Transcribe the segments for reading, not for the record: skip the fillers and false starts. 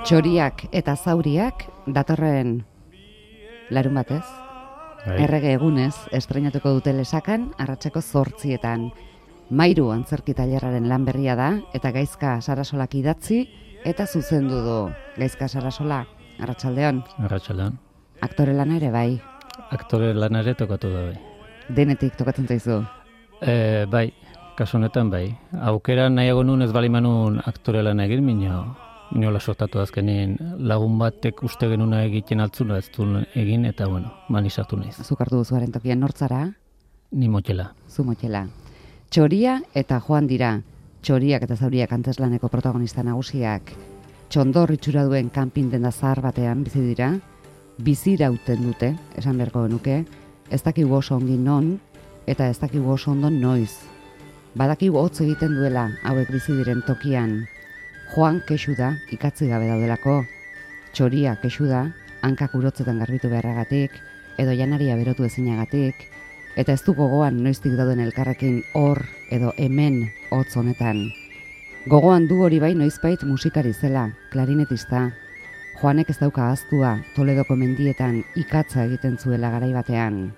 Txoriak eta zauriak datorren larun batez, errege egunez, estreinatuko dute Lesakan, arratseko 8:00. Mairu antzerki tailerraren lan berria da, eta Gaizka Sarasolak idatzi, eta zuzendu du. Gaizka Sarasola, arratsaldeon. Arratsaldeon. Aktore lana ere bai. Aktore lana ere tokatu da bai. Denetik tokatzen zaizu. Bai, kasu honetan bai. Aukera nahiago nun ez bali manun aktore lana egin, minola sortatu azkenin lagun batek uste genuna egiten altzuna ez duen egin, eta bueno, mani sartu naiz. Zuk hartu duzuaren tokian nortzara? Ni Motxela. Zu Motxela. Txoria eta Joan dira. Txoriak eta zauriak antzeslaneko protagonista nagusiak. Txondor itxura duen kanpin denda zahar batean bizi dira. Bizirauten dute, esan beharko genuke. Ez dakigu oso ongi non, eta ez dakigu oso ondo noiz. Badakigu hotz egiten duela hauek bizi diren tokian. Joan kexu da, ikatzi gabe daudelako. Txoria kexu da, hankak urotzetan garbitu beharragatik, edo janaria berotu ezinagatik, eta ez du gogoan noiztik dauden elkarrekin hor edo hemen hotz honetan. Gogoan du hori bai noizbait musikari zela, klarinetista. Joanek ez dauka ahaztua Toledoko mendietan ikatza egiten zuela garai batean.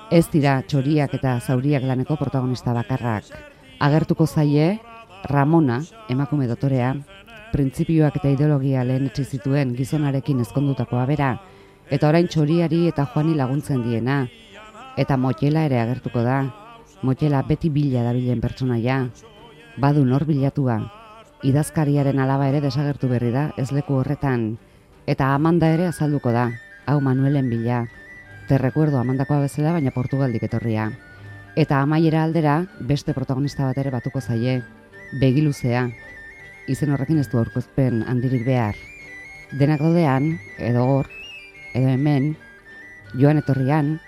Ez dira txoriak eta zauriak laneko protagonista bakarrak. Agertuko zaie Ramona, emakume dotorea, printzipioak eta ideologia lehenetsi zituen gizonarekin ezkondutakoa bera, eta orain txoriari eta Joani laguntzen diena. Eta Motxela ere agertuko da. Motxela beti bila dabilen pertsonaia. Badu nor bilatua. Idazkariaren alaba ere desagertu berri da, ez leku horretan. Eta Amanda ere azalduko da. Hau Manuelen bila. Te recuerdo Amandakoa bezala, baina Portugaldik etorria. Eta amaiera aldera, beste protagonista bat ere batuko zaie. Begiluzea. Izen horrekin ez du aurkezpen handirik behar. Denak daudean, edo hor, edo hemen, joan etorrian,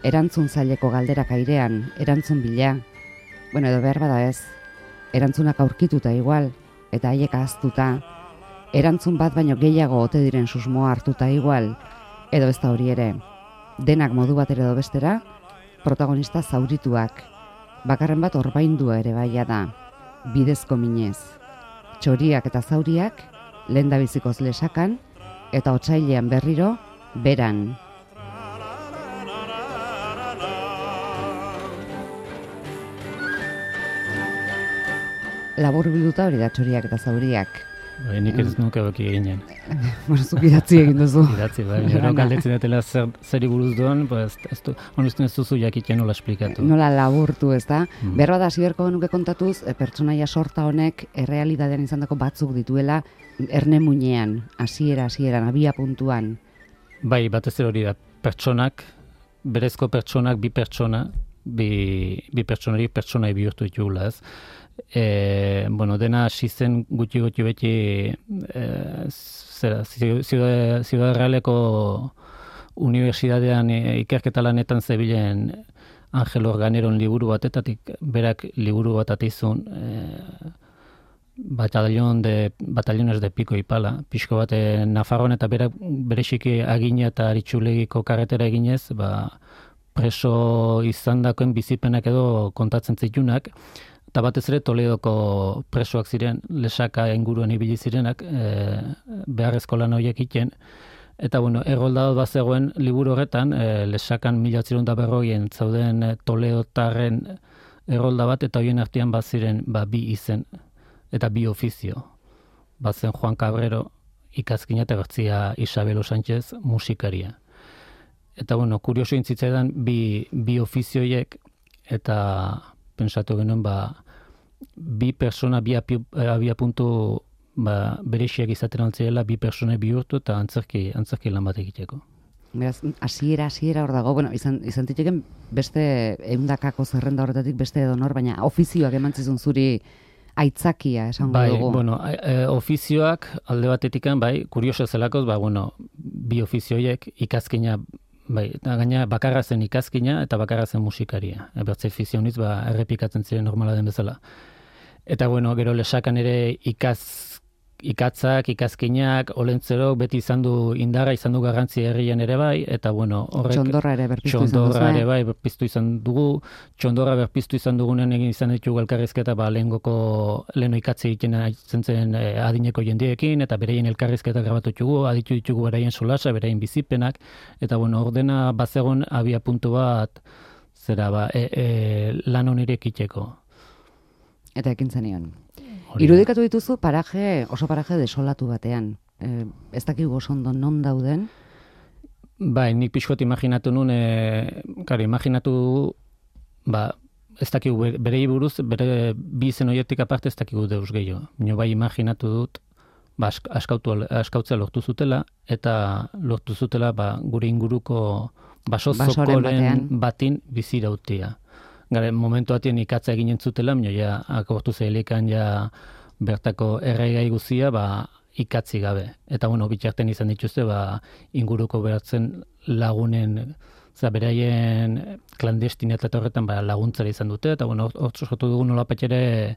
erantzun zaileko galderak airean, erantzun bila. Bueno, edo behar bada ez, erantzunak aurkituta igual, eta haiek ahaztuta, erantzun bat baino gehiago ote diren susmoa hartuta igual, edo ez da hori ere. Denak modu bat edo bestera, protagonista zaurituak, bakarren bat orbaindua ere baia da, bidezko minez. Txoriak eta zauriak, lehendabizikoz Lesakan, eta otsailean berriro, beran. Labur bilduta hori da txoriak eta zauriak. Bai, nik ez nuke baki eginen. Zuk idatzi egin duzu. Idatzi, bai, nero galdetzen dutela zeri buruz duen, honezten ez duzu jakiten nola esplikatu. Nola laburtu, ez da? Berba da, ziberko genuke kontatuz, pertsonaia sorta honek errealitatean izandako batzuk dituela, erne muinean, hasieran, abia puntuan. Bai, batez ere hori da, pertsonak, berezko pertsonak, bi pertsonari pertsonai bihurtu ditugula, ez? Dena hasi zen gutxi beti Ciudad Realeko Unibertsitatean ikerketa lanetan zebilen Angel Organeron liburu batetatik, berak liburu bat atizun batallones de pico y pala, pixko bat Nafarroan, eta berak bereziki Agina eta Aritxulegiko karretera eginez, preso izandakoen bizipenak edo kontatzen zitunak, eta batez ere Toledoko presoak ziren, Lesaka inguruan ibili zirenak, beharrezko lan horiek iten. Eta errolda bat zegoen liburu horretan, Lesakan 1940 zauden Toledotarren errolda bat, eta horien artean bat ziren bi izen, eta bi ofizio. Bat zen Juan Cabrero ikazkina eta bertzia Isabelo Sánchez musikaria. Eta kurioso intzitzaidan bi ofizioiek, eta pensatu genuen bi persona, bi abiapuntu berexiak izaten altzirela, bi persona bihurtu eta antzerki lan bat egiteko. Beraz, hasiera hor dago, izan ziteken beste ehundakako zerrenda horretatik beste edonor, baina ofizioak eman zizun zuri aitzakia, esango dugu. Ofizioak alde batetikan, kurioso zelakoz, bi ofizioiek ikazkina, eta gaina bakarra zen ikazkina eta bakarra zen musikaria. Bertze fizioniz, errepikatzen ziren normala den bezala. Eta gero Lesakan ere ikatzak, ikazkinak, olentzerok beti izan du indarra, izan du garrantzi herrien ere bai, eta bueno, horrek... Txondorra ere berpiztu izan dugu. Txondorra berpiztu izan dugunen egin izan ditugu elkarrizketa, leheno ikatzi egiten zen adineko jendiekin, eta bereien elkarrizketa grabatu ditugu, aditu ditugu beraien solasa, beraien bizipenak, eta bueno, ordena bazegon abia puntu bat, lan honirek itxeko. Eta ekin zenion. Irudikatu dituzu oso paraje desolatu batean. Ez dakigu oso ondo non dauden? Bai, nik pixkot imaginatu nun, imaginatu, ez dakigu berei buruz, bere bi izen horietik aparte ez dakigu deus gehiago. Nio bai imaginatu dut, askautzea lortu zutela, eta lortu zutela gure inguruko basozokoren batin bizirautia. Gare, momentu atien ikatza eginen zutela, ja, akortu zehelikan ja bertako erregai guzia, ikatzi gabe. Eta, bueno, bitxarten izan dituzte, inguruko beratzen lagunen, beraien klandestinetat horretan laguntzara izan dute, eta, bueno, hor sortu dugu nolapatxere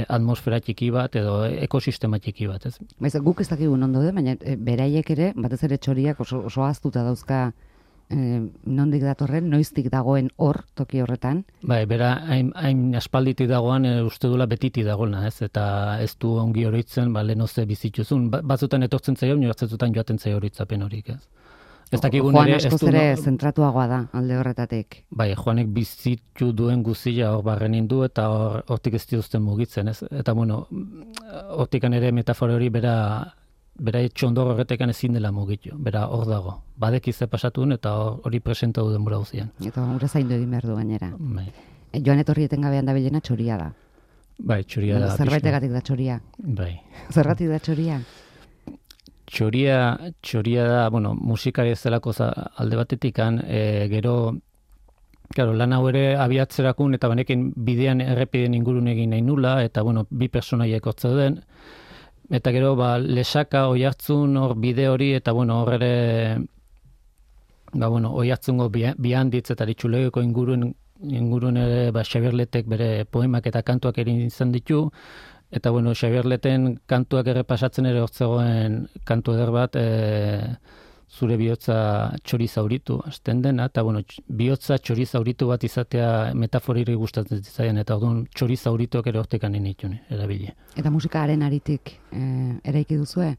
atmosfera txiki bat, edo ekosistema txiki bat, ez? Guk ez dakigun ondo de, baina beraiek ere, batez ere txoriak oso ahaztuta dauzka nondik datorren, noiztik dagoen hor, toki horretan? Bai, bera, hain aspalditik dagoan uste dula betiti dagoena, ez? Eta ez du ongi horitzen, lehenoze bizituzun. Batzutan etortzen zaio, nioartzetutan joaten zaio horitzapen horik, ez? Joan askoz ere zentratuagoa da, alde horretatik. Bai, Joanek bizitu duen guzia hor barrenin du, eta hortik ez dituzten mugitzen, ez? Eta, bueno, hortikan ere metafora hori bera txondor horretekan ezin dela mugitu, bera hor dago. Badekize pasatun eta hori presenta du denbora guztian. Eta hori zaindu egin behar du gainera. Bai. Joan etorri etengabean dabilena txoria da. Bai, txoria da. Zerbaitegatik da txoria. Bai. Zergatik da txoria? Txoria da, bueno, musikari ez delako alde batetikan, gero, claro, lan hau ere abiatzerakun eta banekin bidean errepiden ingurun egin nahi nula, eta, bueno, bi personaiek hortze den, eta gero, lesaka, oihartzun, hor bide hori, eta, bueno, hor ere, oihartzungo bihanditz eta ditxulegeko ingurun ere, Xabier Letek bere poemak eta kantuak egin izan ditu, eta, bueno, Xabier Leten kantuak errepasatzen ere hortzegoen kantu eder bat, zure bihotza txori zauritu, azten dena, eta, bueno, bihotza txori zauritu bat izatea metaforiri gustatzen zaian, eta orduan txori zaurituak ere hortekan initune, erabili. Eta musikaaren aritik eraiki duzue?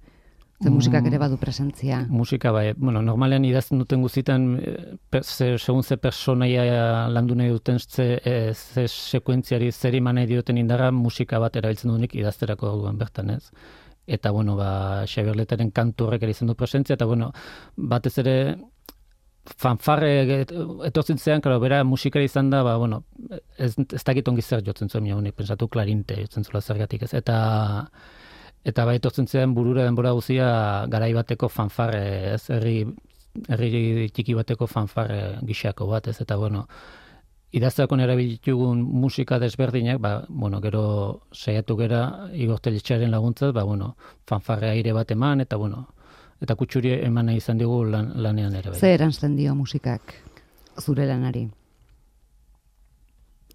Ze musikak ere badu presentzia? Musika, bai, bueno, normalean idazten duten guztietan, segun ze personaia landu nahi duten, ze sekuentziari zer iman nahi dioten indarra, musika bat erabiltzen duenik idazterako orduan bertan, ez? Eta, bueno, Xabier Leteren kantu horrek ere izan du presentzia, eta, bueno, batez ere fanfarre etortzen zean, claro, bera musikari izan da, bueno, ez dakit ongi zer jotzen zuen, honek pensatu klarinte jotzen zula zergatik, ez? Eta etortzen zean burura denbora guzia garai bateko fanfarre, ez? Herri txiki bateko fanfarre gixako bat, ez? Eta, bueno, idazteakon erabilitugun musika desberdinak, bueno, gero saiatu gera Igor Telletxearen laguntzaz, bueno, fanfarre aire bat eman, eta, bueno, eta kutsuri eman nahi izan digu lanean ere. Zer eranzten dio musikak zure lanari?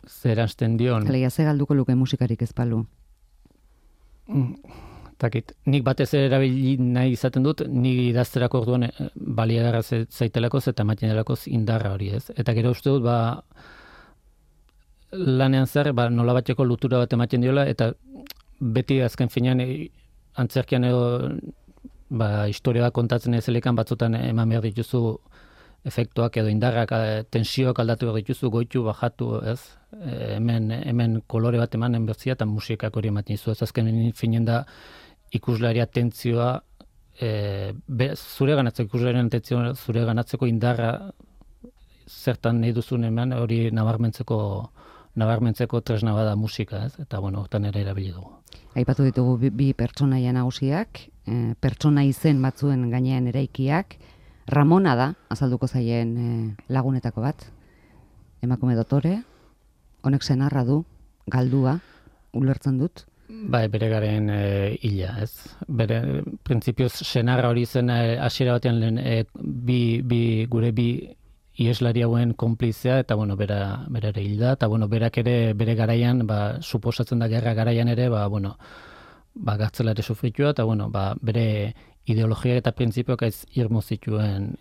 Zer eranzten dion? Alegia, ze galduko luke musikarik ez balu? Takit, nik batez erabili nahi izaten dut, nik idazterako orduan baliagarra zaitelakoz eta ematen delakoz indarra hori, ez? Eta gero uste dut, lanean zer, nola bateko lutura bat ematen diola, eta beti azken finean antzerkian edo historia bat kontatzen ezelekan batzutan eman behar dituzu efektuak edo indarrak, tensioak aldatu behar dituzu, goitu, bajatu, ez? Hemen kolore bat emanen berzia eta musikak hori ematen dizu, ez azken finean da ikuslari atentzioa, zure ganatzeko indarra zertan nahi duzun hemen hori nabarmentzeko tresna bada musika, ez? Eta, bueno, hortan ere erabili dugu. Aipatu ditugu bi pertsonaia nagusiak, pertsona izen batzuen gainean eraikiak, Ramona da, azalduko zaien lagunetako bat, emakume dotore, honek senarra du, galdua, ulertzen dut. Bai, bere garen hila, ez? Bere, printzipioz, senarra hori zen hasiera batean gure bi ieslari hauen konplizea, eta, bueno, bera ere hilda, eta, bueno, berak ere bere garaian, suposatzen da gerra garaian ere, bueno, gartzela ere sufritua, eta bueno, bere ideologia eta printzipioak ez irmo zituen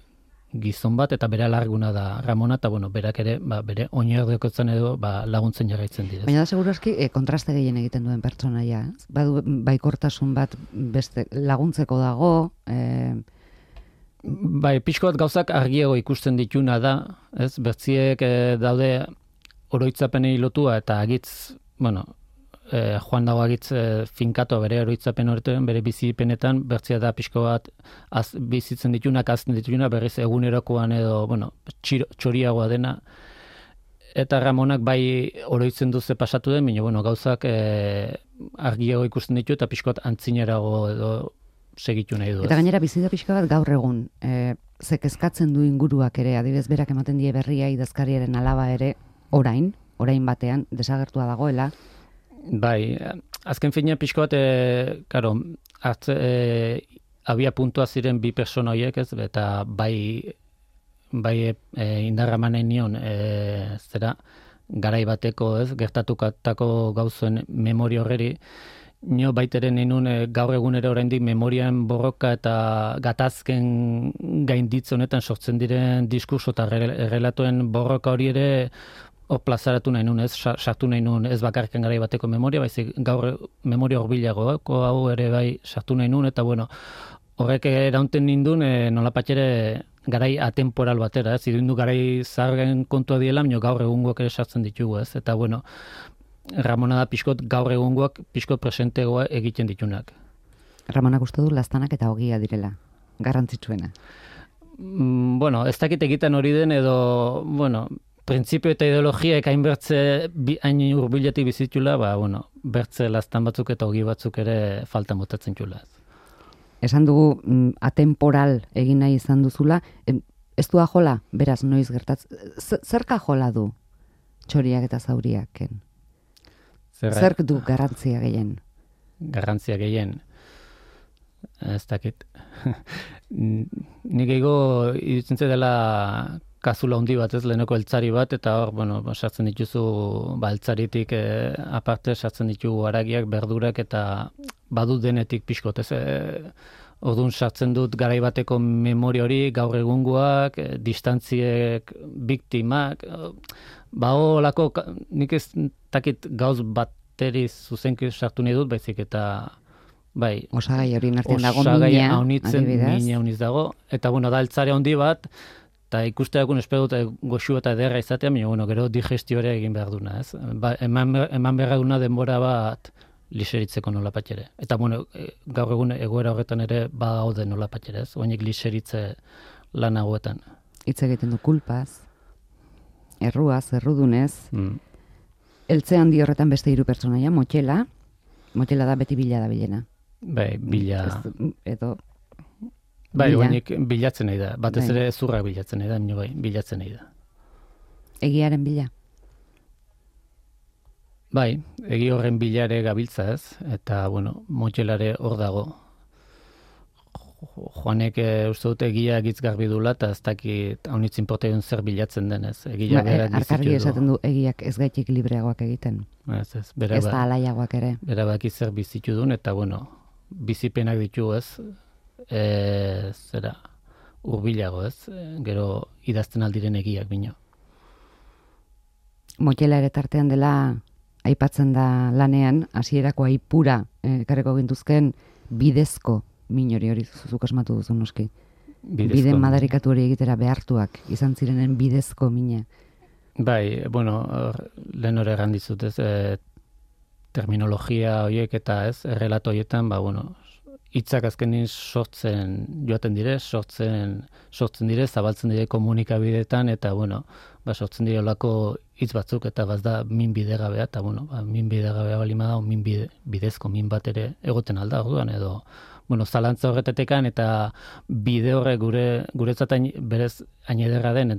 gizon bat, eta bere alarguna da Ramona, eta bueno, berak ere, bere oinordekotzen edo laguntzen jarraitzen dira. Baina da segurazki kontraste gehien egiten duen pertsonaia, ez? Badu baikortasun bat beste laguntzeko dago, Bai, pixko bat gauzak argiago ikusten dituna da, ez? Bertziek daude oroitzapenei lotua eta agitz, bueno, joan dago agitz finkato bere oroitzapen horretan, bere bizipenetan, bertzia da pixko bat bizitzen ditunak, azten dituna, berriz egunerokoan edo, bueno, txoriagoa dena. Eta Ramonak bai oroitzen duze pasatu den, baina, bueno, gauzak argiago ikusten ditu eta pixko bat antzinerago edo segitu nahi du. Eta gainera bizida pixka bat gaur egun, kezkatzen du inguruak ere, adibidez berak ematen die berria idazkariaren alaba ere, orain batean, desagertua dagoela. Bai, azken fina pixko bat, karo, abia puntua ziren bi persona horiek, ez, eta bai indarra manen nion, zera, garai bateko, ez, gertatukatako gauzen memoria horreri, nio baiteren ninun gaur egunero oraindik memorian borroka eta gatazken gainditz honetan sortzen diren diskurso eta errelatoen borroka hori ere plazaratu nahi nun, ez, sartu nahi nun, ez bakarken garai bateko memoria, baizik gaur memoria horbilagoako hau ere bai sartu nahi nun, eta bueno, horrek eraunten nindun nolapatxere garai atemporal batera, ez, idundu garai zaharren kontua diela, baina gaur egungoak ere sartzen ditugu, ez, eta bueno, Ramona da pixkot gaur egungoak pixkot presentegoa egiten ditunak. Ramonak uste du laztanak eta ogia direla, garrantzitsuena. Bueno, ez dakit egiten hori den edo, bueno, printzipio eta ideologiak hain bertze hain urbiletik bizitula, bueno, bertze laztan batzuk eta ogi batzuk ere falta motatzen txula. Esan dugu atemporal egin nahi izan duzula, ez du ajola, beraz noiz gertatzen, zerka jola du txoriak eta zauriaken? Zerk du garrantzia gehien? Garrantzia gehien. Ez dakit. Nik ego iruditzen dela kazula handi bat, ez, lehenoko eltzari bat, eta hor, bueno, sartzen dituzu, eltzaritik aparte sartzen ditugu haragiak, berdurak, eta badut denetik pixkot, ez, orduan sartzen dut garai bateko memoria hori, gaur egungoak, distantziek, biktimak, holako, nik ez takit gauz bateri zuzenki sartu nahi dut, baizik eta bai, osagai hori nartzen dago mina hauniz dago, eta bueno, da eltzare handi bat, eta ikusteakun espero dut goxu eta ederra izatea, baina bueno, gero digestioare egin behar duna, ez? Eman behar duna denbora bat liseritzeko nolapatxere. Eta bueno, gaur egun egoera horretan ere bagaude nolapatxere, ez? Oinek liseritze lan hauetan. Hitz egiten du kulpaz, erruaz, errudunez, eltze handi horretan beste hiru pertsonaia, Motxela da beti bila da bilena. Bai, bila. Edo bai, oinek bilatzen nahi da. Batez ere zurrak bilatzen nahi da, bai, bilatzen nahi da. Egiaren bila? Bai, egi horren bilare gabiltza, ez, eta, bueno, Motxelare hor dago. Joanek uste dut egia egitz garbi dula, eta ez dakit haunitzin portaion zer bilatzen denez. Egia berak bizitu du. Arkargi esaten du egiak ez gaitik libreagoak egiten. Ez da alaiagoak ere. Bera baki zer bizitu duen, eta, bueno, bizipenak ditu, ez, zera, urbilago, ez, gero idazten aldiren egiak bino. Motxela ere tartean dela aipatzen da lanean, hasierako aipura ekarreko gintuzken bidezko min hori zuzuk asmatu duzu noski. Bide madarikatu hori egitera behartuak izan zirenen bidezko mina. Bai, bueno, lehen hori errandizut, ez, terminologia horiek eta ez, errelato horietan, bueno, hitzak azkenin sortzen joaten dire, sortzen dire, zabaltzen dire komunikabideetan, eta, bueno, sortzen dire olako hitz batzuk, eta bazda min bidegabea, eta, bueno, min bidegabea balima da, min bidezko min bat ere egoten alda, orduan, edo, bueno, zalantza horretetekan, eta bide horrek guretzat berez hain ederra den,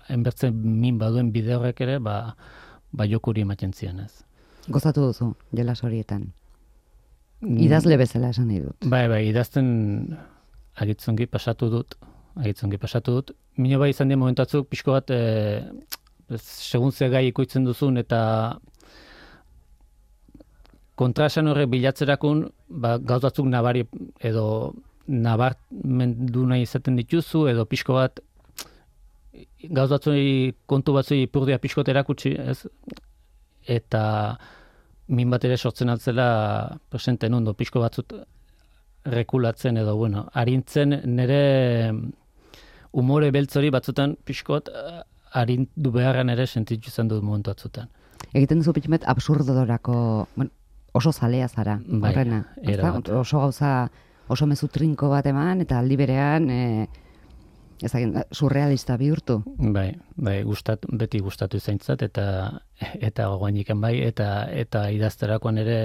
enbertzen min baduen bide horrek ere, jokuri ematen zian, ez. Gozatu duzu, jolas horietan. Idazle bezala esan nahi dut. Bai, idazten agitzongi pasatu dut. Mino bai izan dien momentatzuk, pixko bat, segun ze gai ikuitzen duzun, eta kontraesan horrek bilatzerakun, gauz batzuk nabari edo nabarmendu nahi izaten dituzu, edo pixko bat gauz batzui, kontu batzui ipurdia pixkot erakutsi, ez? Eta min bat ere sortzen altzela presenten ondo, pixko batzut rekulatzen edo, bueno, arintzen nire umore beltzori batzutan pixkot arindu beharran ere sentitu izan dut momentu batzutan. Egiten duzu pitxumet absurdodorako, bueno, oso zalea zara, horrena. Oso gauza, oso mezu trinko bat eman, eta aldi berean, surrealista bihurtu. Bai, beti gustatu zaintzat, eta gogoaniken bai, eta idazterakoan ere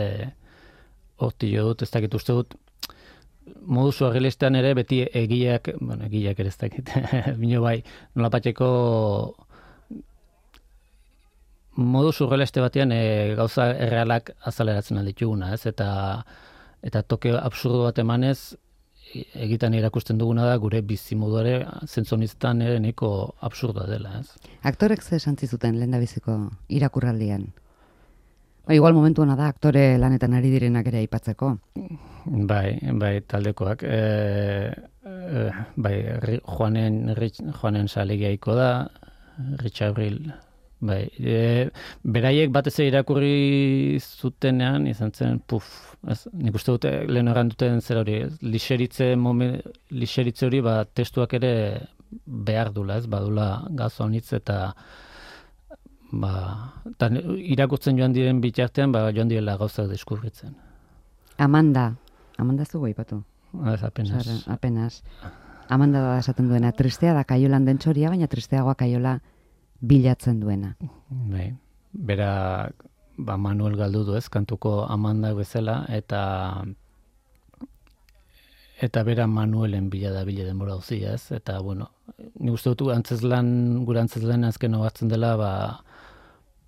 horti jo dut, ez dakit uste dut, modu surrealistean ere beti egileak ere ez dakit, bino bai, nolapatxeko modu surrealiste batean gauza errealak azaleratzen aldituguna, ez? Eta toke absurdo bat emanez, egitan irakusten duguna da gure bizimoduare zentzoniztan ere nahiko absurdoa dela, ez? Aktorek ze esantzi zuten lehendabiziko irakurraldian? Igual momentu hona da aktore lanetan ari direnak ere aipatzeko. Bai, taldekoak. Juanen salegiaiko da, Rich Abril. Bai, beraiek batez irakurri zutenean izan zen, nik uste dute lehen duten zer hori, lixeritze hori testuak ere behar dula, ez, badula gazo honitz eta irakurtzen joan diren bitartean, joan direla gauzak deskubritzen. Amanda zugu aipatu? Ez, apenas. Amanda da esaten duena, tristea da kaiolan den txoria, baina tristeagoa kaiola bilatzen duena. Bai, bera Manuel galdu du, ez, kantuko Amanda bezala, eta bera Manuelen bila denbora uzia, ez, eta bueno, nik uste dut gure antzeslan azken ogartzen dela,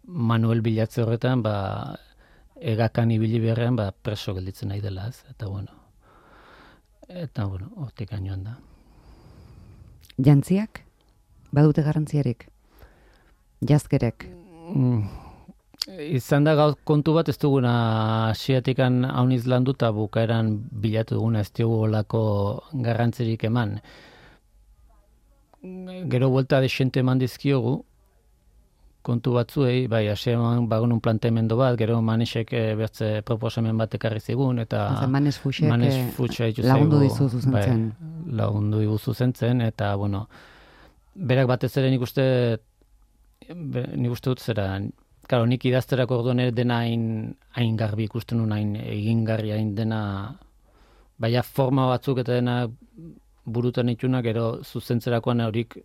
Manuel bilatze horretan, egakan ibili beharrean, preso gelditzen nahi dela, ez, eta bueno, hortik joan da. Jantziak? Badute garrantziarik? Jazkerek? Izan da kontu bat ez duguna asiatikan hauniz landu eta bukaeran bilatu duguna ez diogu olako garrantzirik eman. Gero buelta desente eman dizkiogu kontu batzuei, asiaman bagunun planteamendo bat, gero Manesek bertze proposamen bat ekarri zigun, eta Manes Fuchsek lagundu dizu zuzentzen. Lagundu digu zuzentzen, eta bueno, berak batez ere nik uste dut zera, claro, nik idazterako orduan ere dena hain garbi ikusten nuen, hain egingarri hain dena, forma batzuk eta dena burutan ituna, gero zuzentzerakoan horik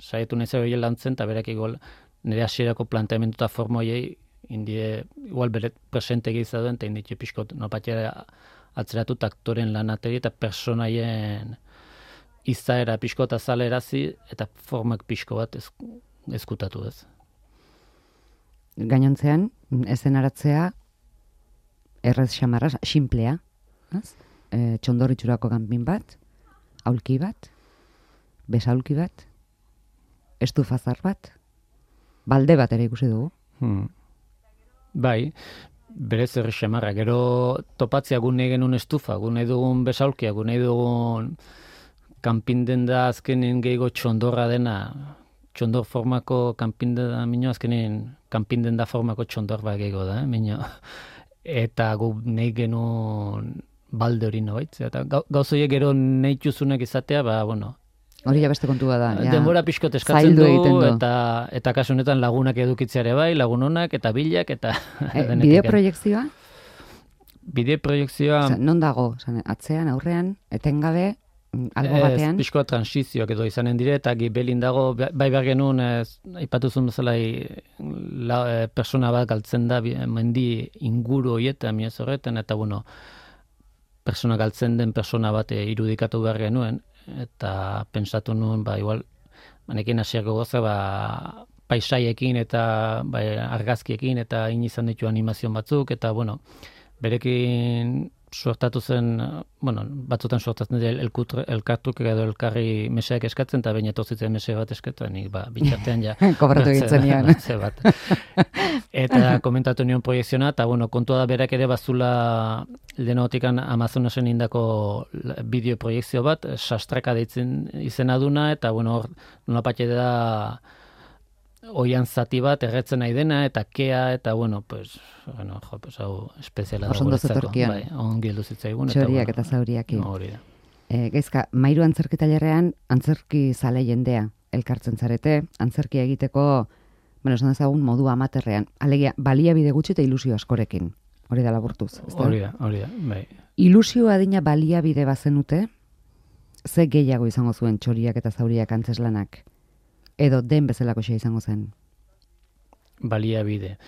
saietu nahi zer lantzen, eta berak igual nire hasierako planteamendu eta forma horiei indie, igual bere presente egizia duen, eta inditxe pixkot nopatxera atzeratu aktoren lanateri eta personaien izaera pixkot azalerazi eta formak pixko bat ezkutatu ez. Gainontzean, eszenaratzea errez xamarra, simplea, txondorritxurako kanpin bat, aulki bat, besaulki bat, estufazar bat, balde bat ere ikusi dugu. Bai, berez errez xamarra, gero topatzea gune genuen estufa, gune dugun besaulkia, gune dugun kanpinden da azkenen gehiago txondorra dena, txondor formako kanpinden da minio, azkenen kanpinden da formako txondor bat gehiago da, minio. Eta gu nahi genuen balde hori nobaitz. Eta gauzoiek gero nahi txuzunek izatea, bueno. Hori ja beste kontua da. Denbora pixkot eskatzen du, eta kasu honetan lagunak edukitzeare bai, lagunonak, eta bilak, eta... Bideoproiekzioa? Bideoproiekzioa... Non dago? Atzean, aurrean, etengabe, albo batean? Ez, pixkoa transizioak edo izanen dire, eta gibelin dago, bai behar genuen, aipatuzun bezala persona bat galtzen da, mendi inguru horietan, miaz horretan, eta bueno, persona galtzen den persona bat irudikatu behar genuen, eta pensatu nuen, igual, manekin hasiako goza, paisaiekin eta argazkiekin, eta izan ditu animazio batzuk, eta bueno, berekin suertatu zen, batzutan suertatzen dira elkartuk edo elkarri meseak eskatzen, eta baina etortzitzen mese bat eskatzen, nik bitxartean ja. Kobratu egitzen nian. Bat. Eta komentatu nion proiekziona, eta kontua da berak ere bazula lehenotikan Amazonasen indako bideo proiekzio bat, sastraka deitzen izena duna, eta hor nolapatxe da oian zati bat erretzen nahi dena, eta kea, eta hau espeziala da guretzako. Bai, ongi heldu zitzaigun. Txoriak eta zauriak. Hori da. Gaizka, Mairu antzerkitailerrean antzerki zale jendea elkartzen zarete, antzerkia egiteko, esan dezagun modu amaterrean, alegia, baliabide gutxi eta ilusio askorekin. Hori da laburtuz. Hori da, bai. Ilusio adina baliabide bazenute, ze gehiago izango zuen Txoriak eta zauriak antzeslanak? Edo den bezalako xe izango zen? Baliabide.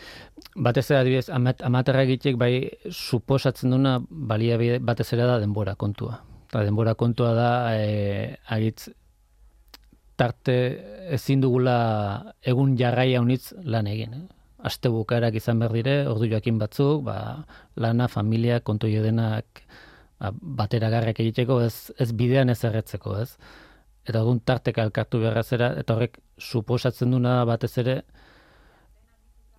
Batez ere adibidez, amaterra egitek bai suposatzen duna baliabide batez ere da denbora kontua. Eta denbora kontua da agitz tarte ezin dugula egun jarraia unitz lan egin. Aste bukaerak izan behar dire, ordu joakin batzuk, lana, familia, kontu jodenak bateragarrak egiteko, ez bidean ez erretzeko, ez? Eta egun tarteka elkartu beharrazera, eta horrek suposatzen duna batez ere,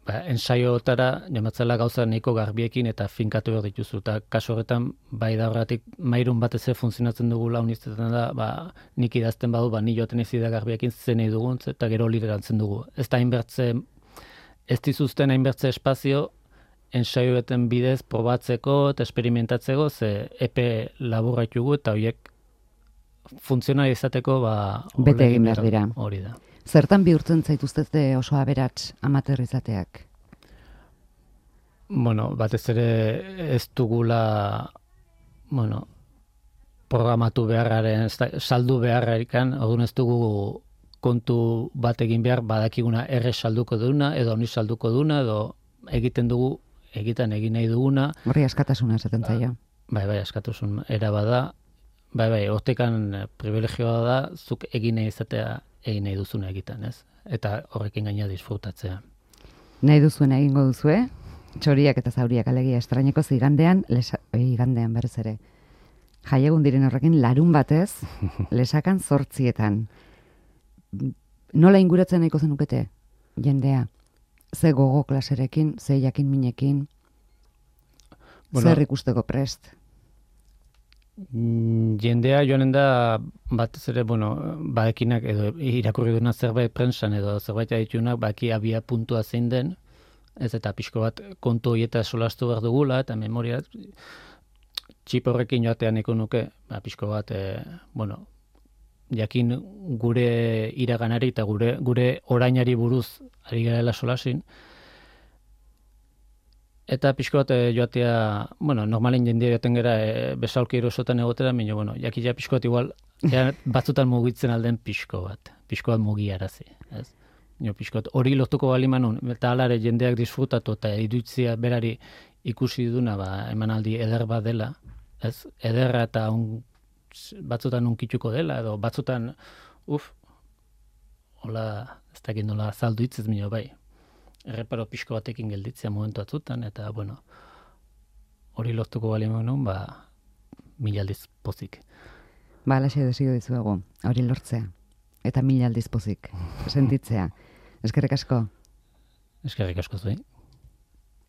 ensaioetara jamatzela gauza nahiko garbiekin eta finkatu behar dituzu. Eta kaso horretan, bai da horretik Mairun batez ere funtzionatzen dugu launizetan da, nik idazten badu, ni joaten ez da garbiekin zen nahi dugun, eta gero liderantzen dugu. Ez da hainbertze, ez dizuzten hainbertze espazio, ensaioetan bidez probatzeko eta esperimentatzeko, ze epe laburra ditugu eta horiek funtzionari izateko bete egin behar dira. Hori da. Zertan bihurtzen zaituztete oso aberats amateur izateak? Batez ere ez dugula programatu beharraren, saldu beharrarikan, orduan ez dugu kontu bat egin behar, badakiguna erre salduko duna, edo honi salduko duna, edo egiten egin nahi duguna. Horri askatasuna esaten zaio. Bai, askatasun era bada. Bai, hortekan privilegioa da, zuk egin nahi izatea egin nahi duzuna egiten, ez? Eta horrekin gaina disfrutatzea. Nahi duzuena egingo duzue, Txoriak eta zauriak alegia estraineko igandean berez ere. Jaiegun diren horrekin larun batez, lesakan 8:00. Nola inguratzen nahiko zenukete, jendea? Ze gogo klaserekin, ze jakin minekin, zer ikusteko prest? Jendea joanen da batez ere, badekinak edo irakurri duna zerbait prentsan edo zerbait aditunak, baki abia puntua zein den, ez eta pixko bat kontu horieta solastu behar dugula, eta memoria txip horrekin joatean eko nuke, pixko bat, jakin gure iraganari eta gure orainari buruz ari garela solasin, eta pixko bat joatea, normalen jendea joaten gara besaulki erosotan egotera, jakia pixko bat igual, batzutan mugitzen alden pixko bat mugiarazi, ez? Pixko bat hori lortuko bali manun, eta alare jendeak disfrutatu eta iruditzia berari ikusi duna, emanaldi eder bat dela, ez? Ederra eta batzutan unkituko dela, edo batzutan, hola, ez dakit nola azaldu hitzez bai. Erreparo pixko batekin gelditzea momentu atzutan, eta, hori lortuko bali manun, 1000 aldiz pozik. Alaxe desio dizuegu, hori lortzea. Eta 1000 aldiz pozik, sentitzea. Eskerrik asko. Eskerrik asko zuei.